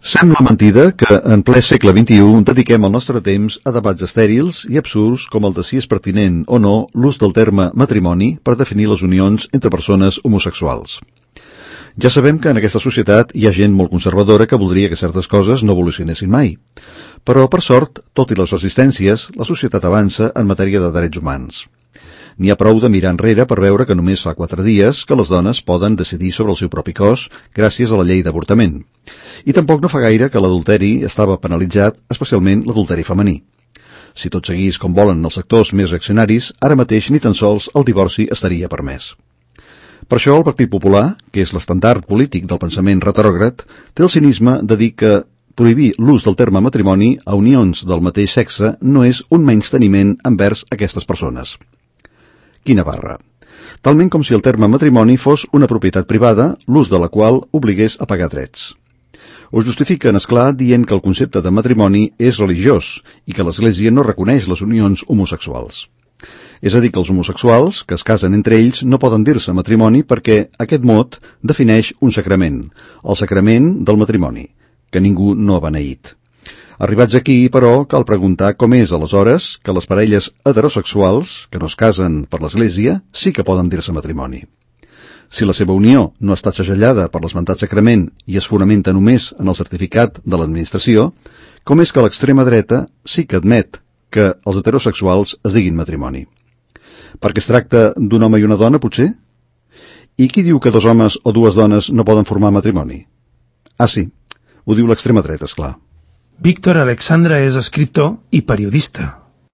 Sembla mentida que, en ple segle XXI, dediquem el nostre temps a debats estèrils i absurds com el de si és pertinent o no l'ús del terme matrimoni per definir les unions entre persones homosexuals. Ja sabem que en aquesta societat hi ha gent molt conservadora que voldria que certes coses no evolucionessin mai. Però, per sort, tot i les resistències, la societat avança en matèria de drets humans. N'hi ha prou de mirar enrere per veure que només fa 4 dies que les dones poden decidir sobre el seu propi cos gràcies a la llei d'avortament. I tampoc no fa gaire que l'adulteri estava penalitzat, especialment l'adulteri femení. Si tot seguís com volen els sectors més reaccionaris, ara mateix ni tan sols el divorci estaria permès. Per això el Partit Popular, que és l'estandard polític del pensament retrògrad, té el cinisme de dir que prohibir l'ús del terme matrimoni a unions del mateix sexe no és un menysteniment envers aquestes persones. Quina barra! Talment com si el terme matrimoni fos una propietat privada, l'ús de la qual obligués a pagar drets. Ho justifiquen, esclar, dient que el concepte de matrimoni és religiós i que l'Església no reconeix les unions homosexuals. És a dir, que els homosexuals, que es casen entre ells, no poden dir-se matrimoni perquè aquest mot defineix un sacrament, el sacrament del matrimoni, que ningú no ha beneït. Arribats aquí, però, cal preguntar com és, aleshores, que les parelles heterosexuals, que no es casen per l'Església, sí que poden dir-se matrimoni. Si la seva unió no està segellada per l'esmentat sacrament i es fonamenta només en el certificat de l'administració, com és que l'extrema dreta sí que admet que els heterosexuals es diguin matrimoni? Perquè es tracta d'un home i una dona, potser? I qui diu que 2 homes o 2 dones no poden formar matrimoni? Ah, sí, ho diu l'extrema dreta, esclar. Víctor Alexandra és escriptor i periodista.